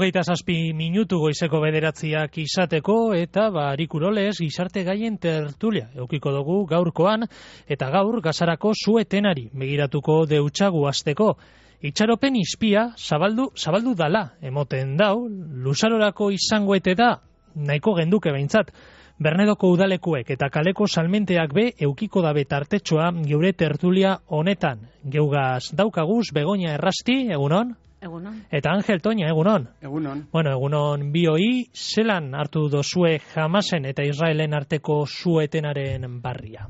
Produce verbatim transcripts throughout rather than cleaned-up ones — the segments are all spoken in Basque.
hogeita zazpi minutu goizeko bederatziak izateko, eta ba, Arikuroles gizarte gaien tertulia eukiko dugu gaurkoan, eta gaur gazarako suetenari begiratuko deutsagu azteko. Itxaropen izpia zabaldu, zabaldu dala, emoten dau, luzarorako izango ete da, nahiko genduke behintzat, Bernedoko udalekuek eta kaleko salmenteak be eukiko dabe tartetxoa geure tertulia honetan. Geugaz daukaguz Begoña Errasti, egunon? Egunon. Eta Angel Toña, egunon? Egunon. Bueno, egunon bioi, zelan hartu dozue Hamasen eta Israelen arteko suetenaren barria?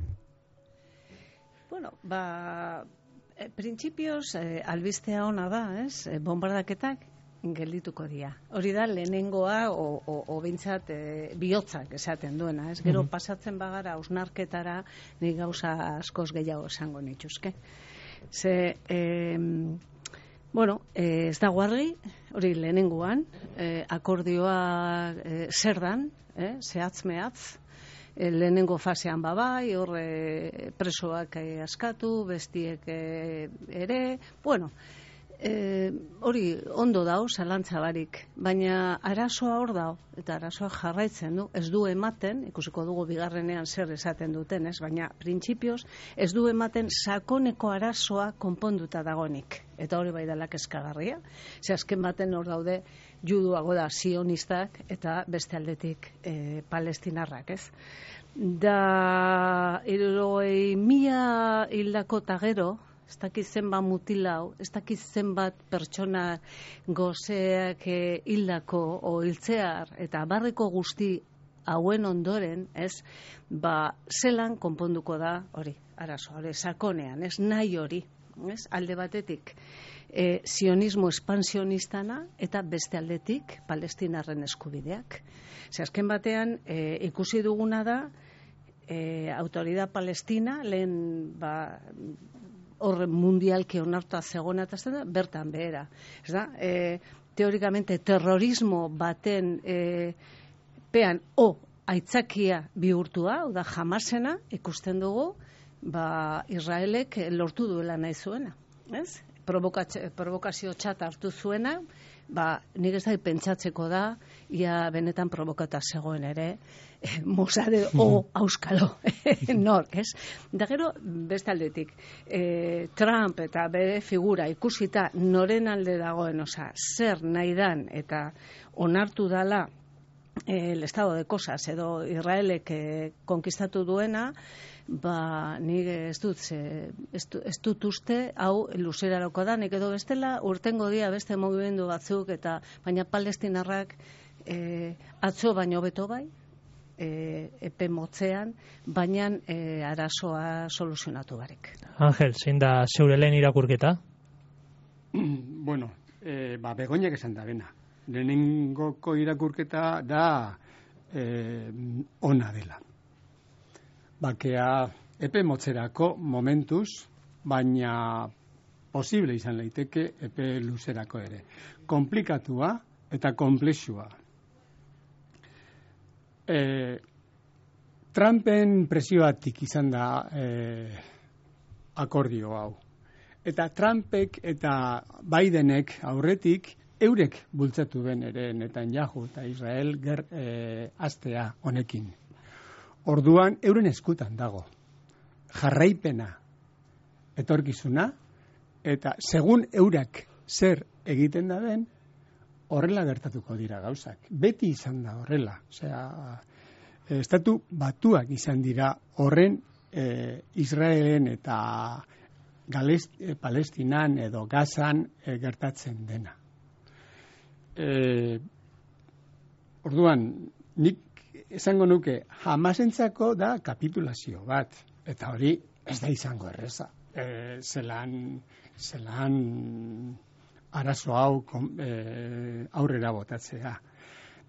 Bueno, ba, e, printzipioz, e, albistea ona da, ez? E, bombardaketak geldituko dira. Hori da lehenengoa o, o, o bintzat e, bihotzak esaten duena, ez? Gero pasatzen bagara ausnarketara ni gauza askoz gehiago esango nituzke. Ze, e, bueno, e, ez dago argi, hori lehenengoan, e, akordioa e, zer dan, e, zehatz mehatz, e, lehenengo fasean babai, hor e, presoak e, askatu, bestiek e, ere, bueno, E, hori ondo dau, zalantza barik, baina arazoa hor dau, eta arazoa jarraitzen du, ez du ematen, ikusiko dugu bigarrenean zer esaten duten, ez, baina printzipioz ez du ematen sakoneko arazoa konponduta dagonik, eta hori bai dela kezkagarria, ze azken baten hor daude juduago da sionistak eta beste aldetik e, palestinarrak, ez. Da, hirurogei mila hildako eta gero, ez dakit zenbat mutilau, ez dakit zenbat pertsona gozeak hildako o hiltzear eta barreko guzti hauen ondoren, ez, ba, zelan konponduko da hori, arazo, hori, sakonean, ez, nahi hori, ez, alde batetik, e, sionismo espansionistana eta beste aldetik palestinarren eskubideak. Ze azken batean, e, ikusi duguna da, e, autoridad palestina, lehen, ba, horre mundialki onartua zegona eta da, bertan behera. Ez da, e, teorikamente terrorismo baten e, pean o aitzakia bihurtua, o da Hamasena ikusten dugu, ba, Israelek lortu duela nahi zuena. Ez? Provokazio txat hartu zuena, ba, nik ez da pentsatzeko da, ia benetan provokata zegoen ere, Mossad o auskalo, nork, ez? Da gero, beste aldetik, e, Trump eta bere figura ikusita noren alde dagoen, oza, zer nahi dan eta onartu dala e, el estado de cosas edo Israelek e, konkistatu duena, ba, nik ez dut, ze, ez, ez dut uste, hau luzeraroko da, nik edo bestela, urtengo dia beste mugimendu batzuk, eta baina palestinarrak e, atzo baino beto bai, E, epe motzean, baina e, arazoa soluzionatu barik. Angel, zein da zeure lehen irakurketa? Bueno, e, ba, Begoñak esan da bena. Lehenengoko irakurketa da e, ona dela. Bakea epe motzerako momentuz, baina posible izan leiteke epe luzerako ere. Komplikatua eta komplexua. E, Trumpen presioatik izan da e, akordio hau. Eta Trumpek eta Bidenek aurretik eurek bultzatu ben ere Netanyahu eta Israel ger, e, astea honekin. Orduan euren eskutan dago. Jarraipena etorkizuna eta segun eurak zer egiten da den, horrela gertatuko dira gauzak. Beti izan da horrela. Osea, estatu batuak izan dira horren e, Israelen eta Galest, e, Palestinan edo Gazan e, gertatzen dena. E, orduan, nik esango nuke, Hamasentzako da kapitulazio bat. Eta hori ez da izango erreza. E, zelan, zelan arazo hau e, aurrera botatzea.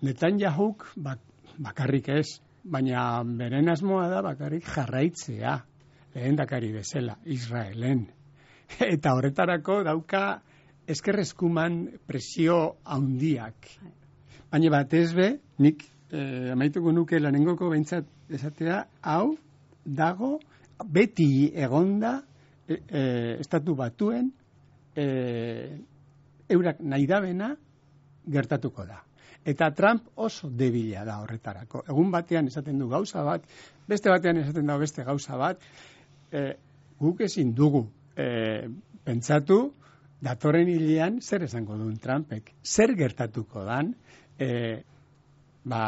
Netanyahuk bak, bakarrik ez, baina beren asmoa da bakarrik jarraitzea, lehendakari bezala, Israelen. Eta horretarako dauka eskerreskuman presio handiak. Baina batez be, nik e, amaituko nuke lanengoko behintzat esatea, hau dago beti egonda e, e, estatu batuen e, eurak nahi dabena gertatuko da. Eta Trump oso debila da horretarako. Egun batean esaten du gauza bat, beste batean esaten da beste gauza bat, e, guk ezin dugu e, pentsatu, datorren hilean zer esango duen Trumpek. Zer gertatuko dan, e, ba,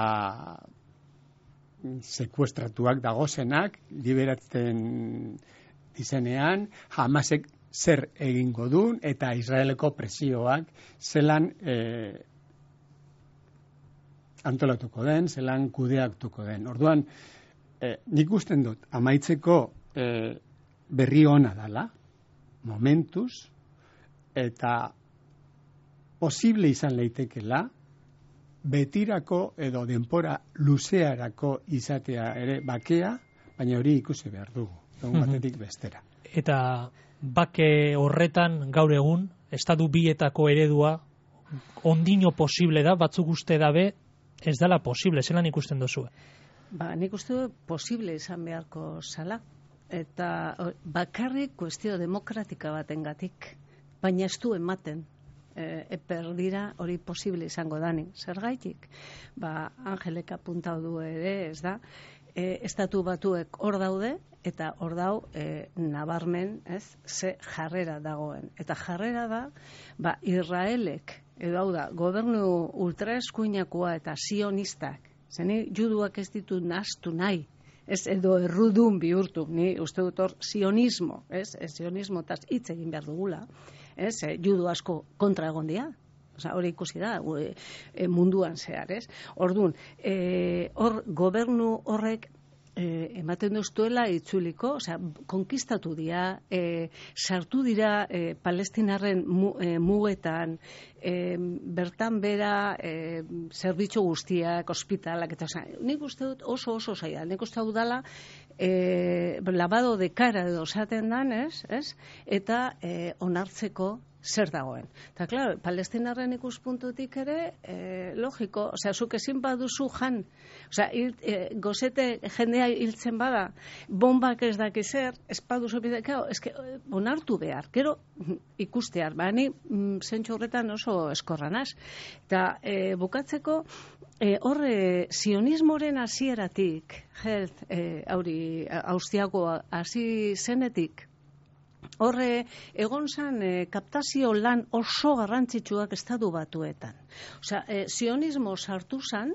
sekuestratuak dagozenak, liberatzen dizenean, Hamasek zer egingo duen, eta Israeleko presioak zelan e, antolatuko den, zelan kudeaktuko den. Orduan, e, nik usten dut, amaitzeko e, berri ona dala, momentuz, eta posible izan leitekela, betirako edo denpora luzearako izatea ere bakea, baina hori ikusi behar dugu, egun batetik bestera. Eta bake horretan gaur egun, estatu bietako eredua ondino posible da, batzuk uste dabe, ez dela posible, zelan ikusten duzue? Ba, nik uste du posible izan beharko zala, eta bakarrik kuestio demokratika batengatik, baina ez du ematen. E, eper dira hori posible izango dani. Zergaitik? Ba, Angelek apuntau du ere, ez da, e, estatu batuek hor daude, eta hor dau e, nabarmen, ez, ze jarrera dagoen. Eta jarrera da, ba, Israelek, edo hau da, gobernu ultraeskuinakoa eta sionistak, zeni juduak ez ditu nahastu nahi, ez edo errudun bihurtu, ni uste dut hor sionismo, ez, ez sionismo taz hitz egin behar dugula, ez, e, judu asko kontra egon dira, oza, hori ikusi da, e, e, munduan zehar, ez, orduan, e, hor gobernu horrek E, ematen duztuela itzuliko, osea, konkistatu dira, e, sartu dira e, palestinarren mu, e, mugetan, e, bertan bera e, zerbitzu guztiak, ospitalak, eta osea, nik uste dut oso oso zaila, nik uste dut dala, e, lavado de cara edo esaten dan, ez, ez? Eta e, onartzeko zer dagoen. Eta, klaro, palestinarren ikuspuntutik ere, e, logiko, osea, zuk ezin baduzu jan, osea, hil, e, gozete jendea hiltzen bada, bombak ez daki zer, ez baduzu bidekao, eske, onartu behar, gero ikustear, bani, zentsu horretan oso eskorranaz. Eta, e, bukatzeko, e, horre, sionismoren hasieratik, helt, e, hauri, austriako hasi zenetik, horre, egon zan e, kaptazio lan oso garrantzitsuak estatu batuetan. Osea, e, sionismo sartu zan,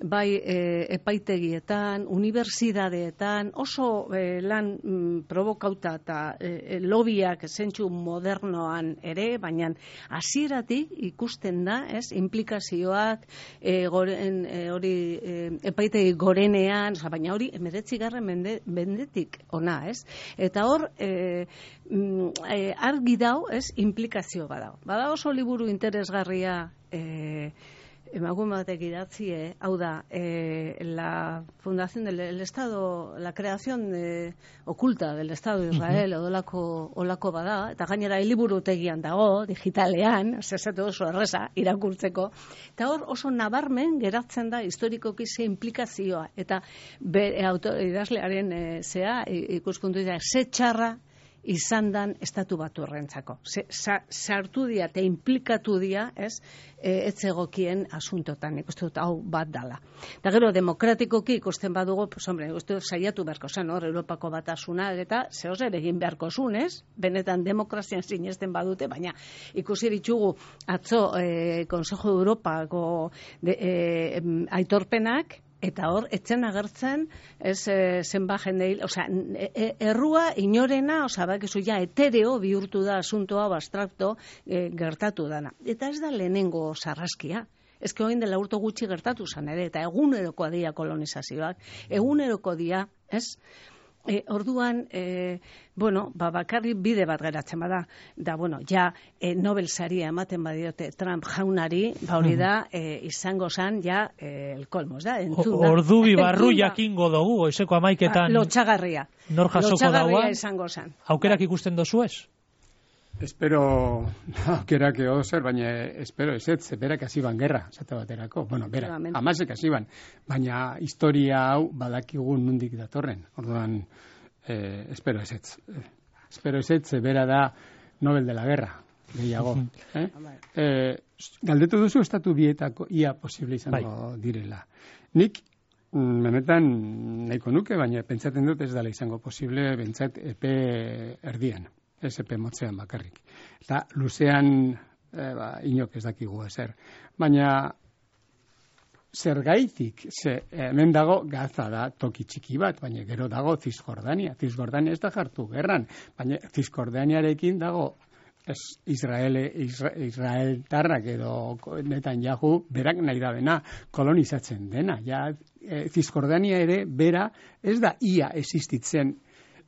bai e, epaitegietan, unibertsitateetan, oso e, lan mm, provokauta eta e, lobiak zentsu modernoan ere, baina hasieratik ikusten da, ez, implikazioak e, goren, e, hori e, epaitegi gorenean, oza, baina hori emeretzigarren mende, mendetik ona, ez? Eta hor, e, e, argi dau, ez, implikazio badau. Bada oso liburu interesgarria e, emagun batek idatzie, hau da, eh, la fundación del el Estado, la creación de, oculta del Estado de Israel, uh-huh. odolako, olako bada, eta gainera hiliburutegian dago, digitalean, zezatu oso erreza, irakurtzeko, eta hor oso nabarmen geratzen da historikoki ze implikazioa, eta be, autor, idazlearen e, zea, ikuspuntu dira, ze txarra izan dan estatu batu horrentzako. Sartu dia eta implikatu dia, ez, e, etzegokien asuntotan, ikusten dut hau bat dala. Eta gero, demokratikoki ikusten badugu, pues, hombre, ikusten saiatu beharko zen, hor, Europako batasuna, eta zehozer egin beharko zun, ez? Benetan demokrazian sinesten badute, baina ikusi ditugu atzo e, Consejo de Europako de, e, aitorpenak, eta hor, etzen agertzen, ez e, zenba jendei, osea, e, errua inorena, osea, bakizu ja, etereo bihurtu da asuntoa, abstrakto, e, gertatu dana. Eta ez da lehenengo sarraskia. Ez que oin dela urto gutxi gertatu zan ere, eta egunerokoa dira kolonizazioak, egunerokoa dira, ez? E, orduan, e, bueno, ba, bakarri bide bat geratzen bada, da, bueno, ja, e, Nobel saria ematen badiote Trump jaunari, ba hori da, e, izango zan, ja, e, el kolmos, da, entzun da. Ordu bi barru jakingo dugu, goizeko amaiketan. Ba, lotxagarria. Nor jasoko dagoa. Lotxagarria izango zan. Aukerak ikusten dozu ez? Espero, aukerak ego zer, baina espero ez ez, berak hasi ban gerra, zate baterako. Bueno, bera, amasek hasi ban. Baina historia hau badakigun nundik datorren. Orduan, eh, espero ez ez. Espero ez ez, bera da Nobel de la Guerra. gehiago. eh? E, galdetu duzu estatu bietako ia posible izango bai. direla. Nik, benetan nahiko nuke, baina pentsatzen dut ez dela izango posible, bentsat epe erdian, ez epe motzean bakarrik. Eta luzean, e, ba, inok ez dakigu ezer. Baina, zergaitik, ze, hemen dago Gaza da toki txiki bat, baina gero dago Cisjordania. Cisjordania ez da jartu gerran, baina Cisjordaniarekin dago ez Israel, Isra, Israel tarrak edo Netanyahu berak nahi da bena kolonizatzen dena. Ja, e, Cisjordania ere bera ez da ia existitzen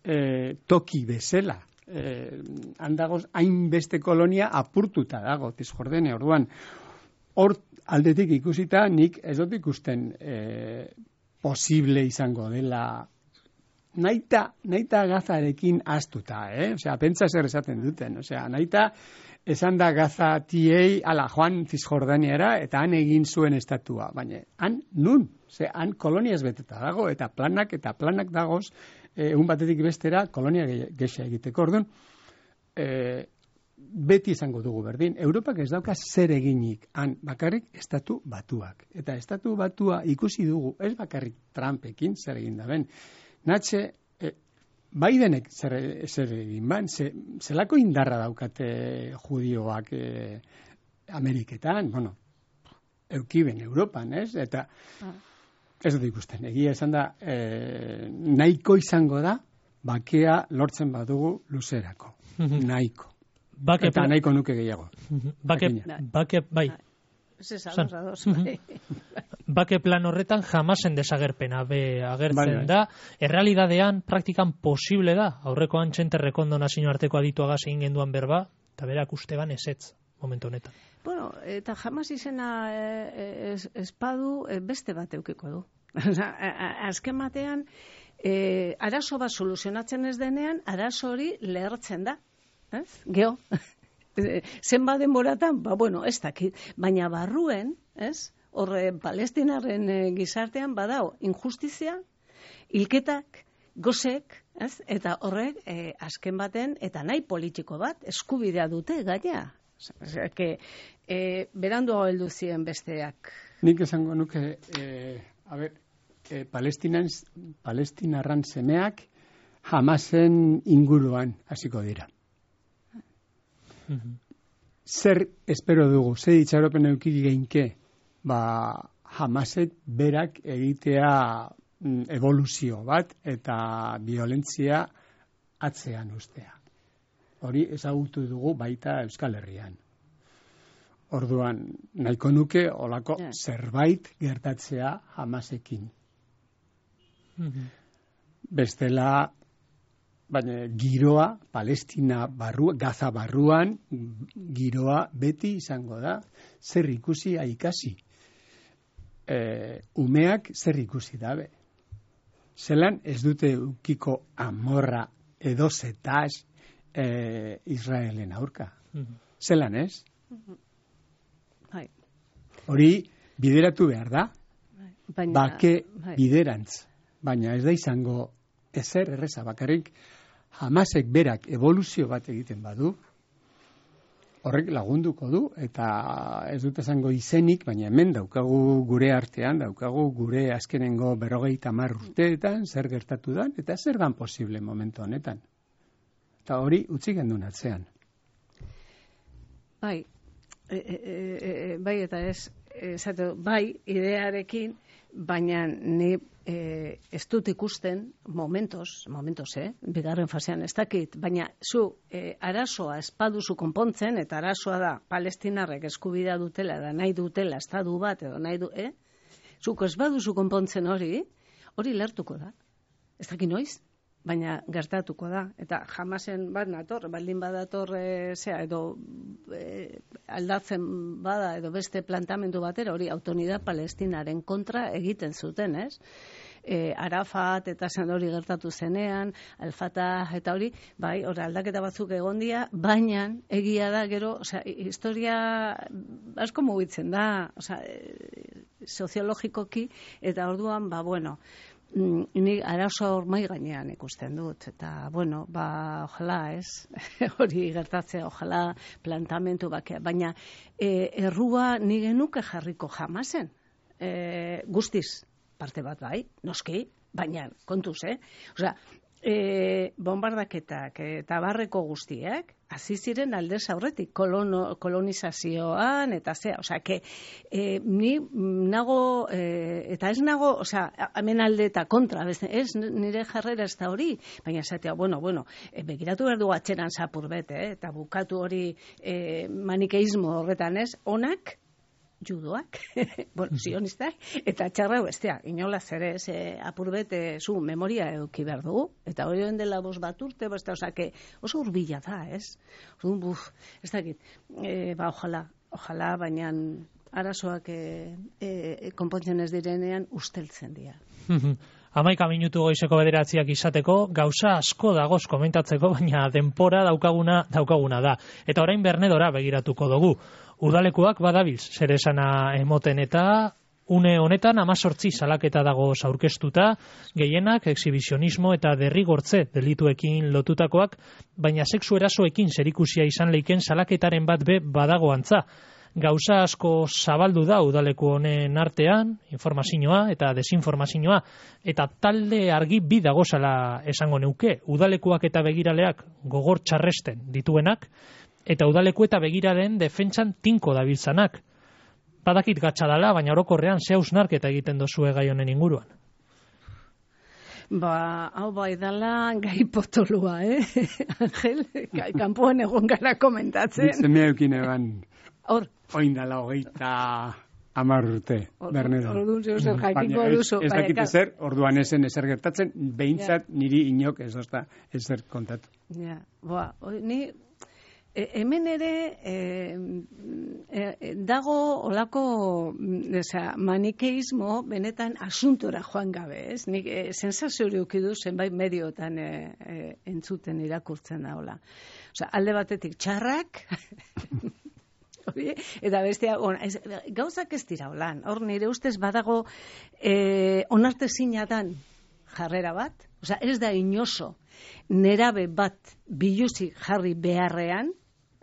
e, toki bezala. E, handagoz hainbeste kolonia apurtuta dago Cisjordania. Orduan, hor aldetik ikusita nik ez dut ikusten e, posible izango dela naita, naita Gazarekin astuta, eh? Osea, pentsa zer esaten duten. Osea, naita esan da Gaza tiei ala joan Cisjordaniara eta han egin zuen estatua. Baina, han nun? Ze, han koloniaz beteta dago eta planak eta planak dagoz e, egun batetik bestera kolonia gexa egiteko. Orduan, e, beti izango dugu berdin. Europak ez dauka zer eginik han bakarrik estatu batuak. Eta estatu batua ikusi dugu, ez bakarrik Trumpekin zer egin da ben. Natxe, eh, Bidenek zer, zer egin ban, ze, zelako indarra daukate judioak eh, Ameriketan, bueno, eukiben Europan, ez? Eta ah. ez dut ikusten, egia esan da, eh, nahiko izango da, bakea lortzen badugu luzerako, nahiko. Bake eta nahiko nuke gehiago. Bake, bake, bai. Bake plan horretan jamasen desagerpena be agertzen bai, bai. da. Errealidadean, praktikan posible da. Aurrekoan txente rekondo nazio arteko adituagaz egin genduan berba, eta berak usteban esetz, momentu honetan. Bueno, eta jamas izena es, espadu beste bat eukiko du. Azken batean, e, arazo bat soluzionatzen ez denean, arazo hori lehertzen da. Ez? Geo. Zenba denboratan, ba, bueno, ez dakit, baina barruen, ez, horre palestinarren e, gizartean badao injustizia, hilketak, gozek, ez, eta horrek e, azken baten, eta nahi politiko bat, eskubidea dute gaina. Osea, que, e, berandu heldu ziren besteak. Nik esango nuke, e, a ber, e, Palestinan, palestinarran semeak jamasen inguruan hasiko dira. Zer espero dugu, zer itxaropen eukiri geinke, ba, Hamasek berak egitea mm, evoluzio bat eta violentzia atzean ustea. Hori ezagutu dugu baita Euskal Herrian. Orduan, nahiko nuke olako yeah. zerbait gertatzea Hamasekin. Mm-hmm. Bestela, baina giroa, Palestina barru, Gaza barruan, giroa beti izango da, zer ikusi aikasi. E, umeak zer ikusi dabe. Zelan ez dute ukiko amorra edo zetaz e, Israelen aurka. Mm-hmm. Zelan ez? Mm-hmm. Hori bideratu behar da, baina, bake hai. biderantz, baina ez da izango ezer erreza bakarrik Hamasek berak evoluzio bat egiten badu, horrek lagunduko du, eta ez dut esango izenik, baina hemen daukagu gure artean, daukagu gure azkenengo berrogeita hamar urteetan, zer gertatu da, eta zer dan posible momentu honetan. Eta hori utzi gendun atzean. Bai, e, e, e, bai eta ez, esatu, bai, idearekin, baina ni e, ez dut ikusten momentos, momentos, eh? Bigarren fasean ez dakit, baina zu e, arazoa espaduzu konpontzen, eta arazoa da palestinarrek eskubidea dutela, da nahi dutela, estadu bat, edo nahi du, eh? Zuko ez baduzu konpontzen hori, hori lertuko da. Ez dakit noiz, baina gertatuko da. Eta jamasen bat nator, baldin badator e, zea, edo e, aldatzen bada, edo beste plantamendu batera, hori autonidad palestinaren kontra egiten zuten, ez? E, Arafat eta zen hori gertatu zenean, Al-Fatah eta hori, bai, hori aldaketa batzuk egon dira, baina egia da gero, osea, historia asko mugitzen da, osea, soziologikoki, eta orduan, ba, bueno, ni arazo hor mai gainean ikusten dut, eta, bueno, ba, ojala, ez, hori gertatzea, ojala, plantamentu bakea, baina e, errua ni genuke jarriko jamazen, e, guztiz, parte bat bai, noski, baina kontuz, eh? Osea, e, bombardaketak eta barreko guztiek, hasi ziren aldez aurretik, kolono, kolonizazioan, eta zea, osea, que e, ni nago, e, eta ez nago, osea, hemen alde eta kontra, ez nire jarrera ez da hori, baina esatea, bueno, bueno, e, begiratu behar du atxeran zapur bete, eh, eta bukatu hori e, manikeismo horretan ez, onak, judoak, bueno, sionistak, eta txarra bestea, inolaz ere, ze apurbet, zu memoria eduki behar dugu, eta hori den dela bost bat urte, beste, osake, oso urbila da, ez? Orduan, buf, ez dakit, e, ba, ojala, ojala, baina arazoak e, e, konpontzen ez direnean usteltzen dira. Hamaika minutu goizeko bederatziak izateko, gauza asko dagoz komentatzeko, baina denpora daukaguna daukaguna da. Eta orain Bernedora begiratuko dugu. Udalekuak badabilz, zer esana emoten eta une honetan amazortzi salaketa dago aurkeztuta, gehienak exhibizionismo eta derrigortze delituekin lotutakoak, baina sexu erasoekin zerikusia izan leiken salaketaren bat be badago antza. Gauza asko zabaldu da udaleku honen artean, informazioa eta desinformazioa, eta talde argi bi dagozala esango neuke, udalekuak eta begiraleak gogor txarresten dituenak, eta udaleku eta begiralen defentsan tinko dabiltzanak. Badakit gatsa dala, baina orokorrean ze hausnarketa egiten dozue gai honen inguruan. Ba, hau bai dala gai potolua, eh? Angel, kanpoan egon gara komentatzen. Zemea eukin eban. Hor. Oin dala hogeita hamar urte, Berneda. Orduan zeu jakiko duzu. Ez dakit ezer, orduan esen ezer gertatzen, behintzat niri inok ez ozta ezer kontatu. Ja, boa, ni... E, hemen ere e, e, dago olako eza, manikeismo benetan asuntora joan gabe, ez? Nik e, sensazio hori ukidu zenbait mediotan e, e, entzuten irakurtzen da hola. Osea, alde batetik txarrak, eta bestea, on, ez, gauzak ez dira holan. Hor nire ustez badago e, onartezina dan jarrera bat, osea, ez da inoso nerabe bat biluzik jarri beharrean,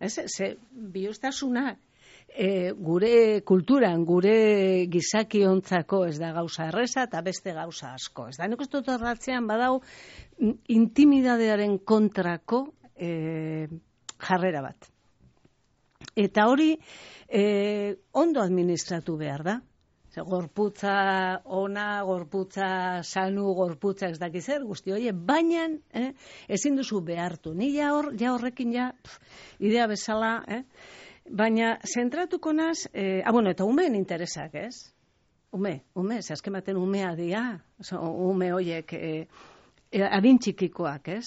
ez, ze biluztasuna e, gure kulturan, gure gizakiontzako ez da gauza erreza eta beste gauza asko. Ez da, nik uste dut horratzean badau intimidadearen kontrako e, jarrera bat. Eta hori e, ondo administratu behar da. Gorputza ona, gorputza sanu, gorputza ez dakiz zer, guzti hori, baina eh, ezin duzu behartu. Ni ja, hor, ja horrekin ja, pf, idea bezala, eh? Baina zentratuko naz, eh, ah, bueno, eta umeen interesak, ez? Ume, ume, ze azken baten umea dia, ume horiek eh, adin txikikoak, ez?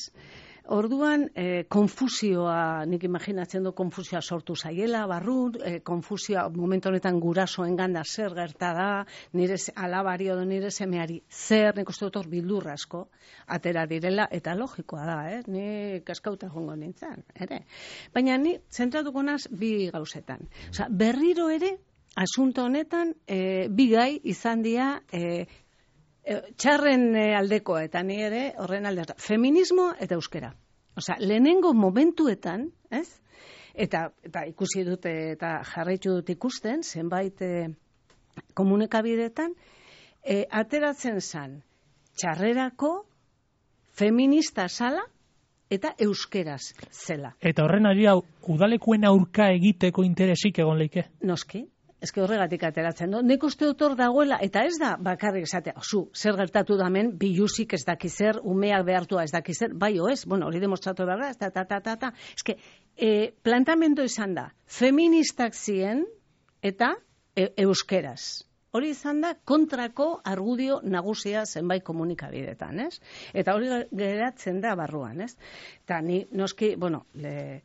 Orduan, eh, konfusioa, nik imaginatzen du konfusioa sortu zaiela, barrun, eh, konfusioa momentu honetan gurasoen ganda zer gerta da, nire alabari edo nire semeari zer, nik uste dut hor bildur asko, atera direla, eta logikoa da, eh? Ni kaskauta jongo nintzen, ere. Baina ni zentratuko naz bi gauzetan. Osea, berriro ere, asunto honetan, eh, bi gai izan dira, eh, txarren aldeko eta ni ere horren aldeko. Feminismo eta euskera. Osea, lehenengo momentuetan, ez? Eta, eta ikusi dute eta jarraitu dut ikusten, zenbait e, komunikabidetan, e, ateratzen zan txarrerako feminista zala eta euskeraz zela. Eta horren ari hau, udalekuen aurka egiteko interesik egon leike? Noski. Ez que horregatik ateratzen du. Nik uste dut hor dagoela, eta ez da bakarrik esatea, zu, zer gertatu damen, biluzik ez daki zer, umeak behartua ez daki zer, bai o ez, bueno, hori demostratu behar da, eta, ta, ta, ta, ta. Ez que, e, plantamento izan da, feministak ziren, eta e, euskeraz. Hori izan da, kontrako argudio nagusia zenbait komunikabidetan, ez? Eta hori geratzen da barruan, ez? Eta ni, noski, bueno, le,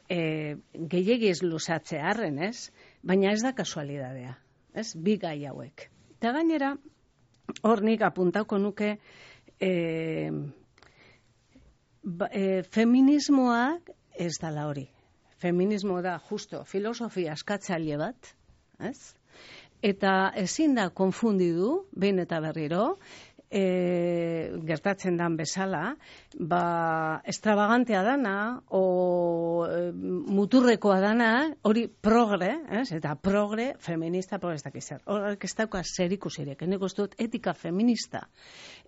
e, gehiagiz luzatzea harren, ez? Baina ez da kasualidadea, ez? Bi gai hauek. Eta gainera, hor nik apuntauko nuke e, ba, e, feminismoak ez dala hori. Feminismo da, justo, filosofia askatzaile bat, ez? Eta ezin da konfundidu, behin eta berriro, e, gertatzen dan bezala, ba, extravagantea dana, o e, muturrekoa dana, hori progre, ez? Eta progre, feminista, progrestak izan. Horrek ez dauka zer ikusirek, nik uste dut etika feminista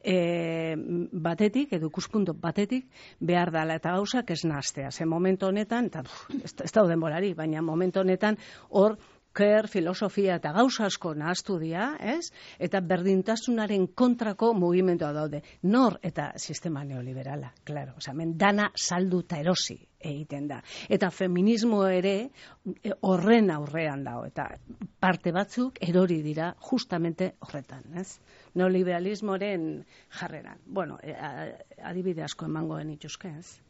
e, batetik, edo ikuspuntu batetik, behar dela, eta gauzak ez nahaztea. Ze momentu honetan, eta ez, ez dauden bolari, baina momentu honetan, hor, ker, filosofia eta gauza asko nahaztu dira, ez? Eta berdintasunaren kontrako mugimendua daude. Nor eta sistema neoliberala, claro. Osa, men dana saldu eta erosi egiten da. Eta feminismo ere horren aurrean dago. Eta parte batzuk erori dira justamente horretan, ez? Neoliberalismoren jarreran. Bueno, adibide asko emango genituzke, ez?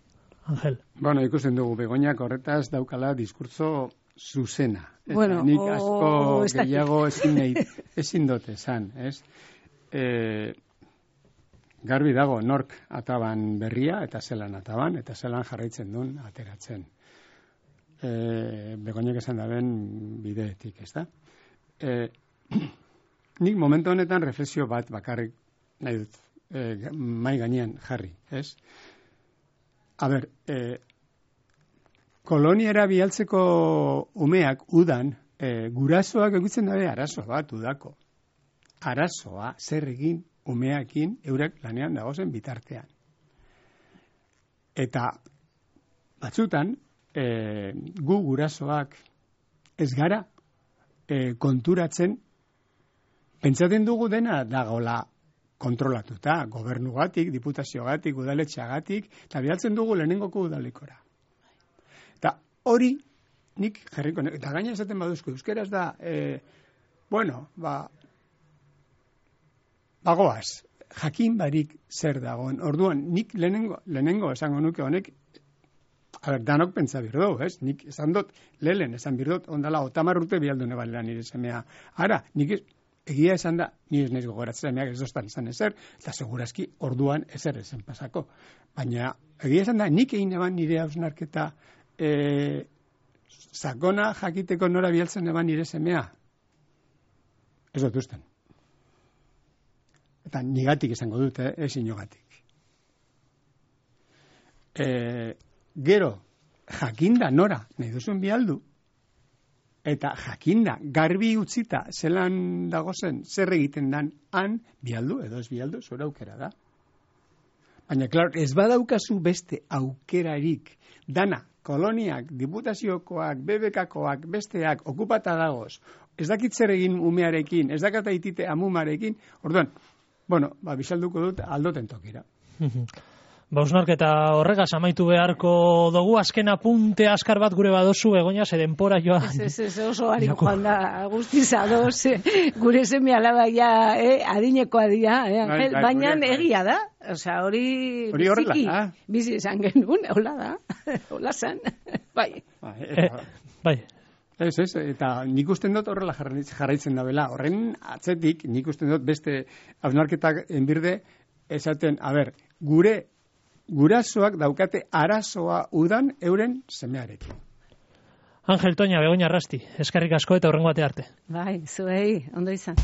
Angel. Bueno, ikusten dugu Begoñak horretaz daukala diskurtso zuzena. Eta bueno, nik o, asko o, gehiago ezin nahi, ezin dut esan, ez? E, garbi dago nork ataban berria, eta zelan ataban, eta zelan jarraitzen duen ateratzen. E, Begoñak esan daben bideetik, ez da? E, nik momentu honetan reflexio bat bakarrik nahi dut, e, mai gainean jarri, ez? A ber, e, koloniara bialtzeko umeak udan, e, gurasoak egutzen dabe arazo bat udako. Arazoa zer egin umeakin eurek lanean dagozen bitartean. Eta batzutan, e, gu gurasoak ez gara e, konturatzen, pentsatzen dugu dena dagoela kontrolatuta, gobernugatik, diputaziogatik, udaletxeagatik, eta bialtzen dugu lehenengoko udalekora. Eta hori, nik jarriko, eta gaina esaten baduzko, euskeraz da, e, bueno, ba, bagoaz, jakin barik zer dagoen. Orduan, nik lehenengo, lehenengo esango nuke honek, a ber, danok pentsa birdo, ez? Nik esan dut, lehen esan birdot, ondala, otamar urte bialdune balera nire semea. Ara, nik ez, egia esan da, ni ez naiz gogoratzen semeak ez dostan esan ezer, eta segurazki orduan ezer ezen pasako. Baina, egia esan da, nik egin eban nire hausnarketa, E, sakona jakiteko nora bialtzen eban nire semea. Ez dut usten. Eta nigatik esango dute, ez inogatik. E, gero, jakinda nora, nahi duzun bialdu, eta jakinda garbi utzita zelan dagozen zer egiten dan han bialdu, edo ez bialdu, zure aukera da. Baina, klar, ez badaukazu beste aukerarik dana, koloniak, diputaziokoak, B B K-koak, besteak, okupata dagoz, ez dakit zer egin umearekin, ez dakata itite amumarekin, orduan, bueno, ba, bisalduko dut aldoten tokira. Ba, usnarketa horregaz amaitu beharko dugu, azken apunte askar bat gure badozu, Begoña, ze denpora joan. Ez, ez, ez, oso harin joan da, guztiz adoz, gure seme alaba ja, eh, adinekoa dira, eh, Angel, bai, baina bai, egia da, osea, hori biziki, bizi esan genuen, hola da, hola zan, bai. Bai, eta, eh, bai. Ez, ez, eta nik usten dut horrela jarraitzen da bela, horren atzetik, nik usten dut beste hausnarketak enbirde, esaten, a ber, gure gurasoak daukate arazoa udan euren semearekin. Angel Toña, Begoña Arrasti, eskerrik asko eta hurrengo arte arte. Bai, zuei, ondo izan.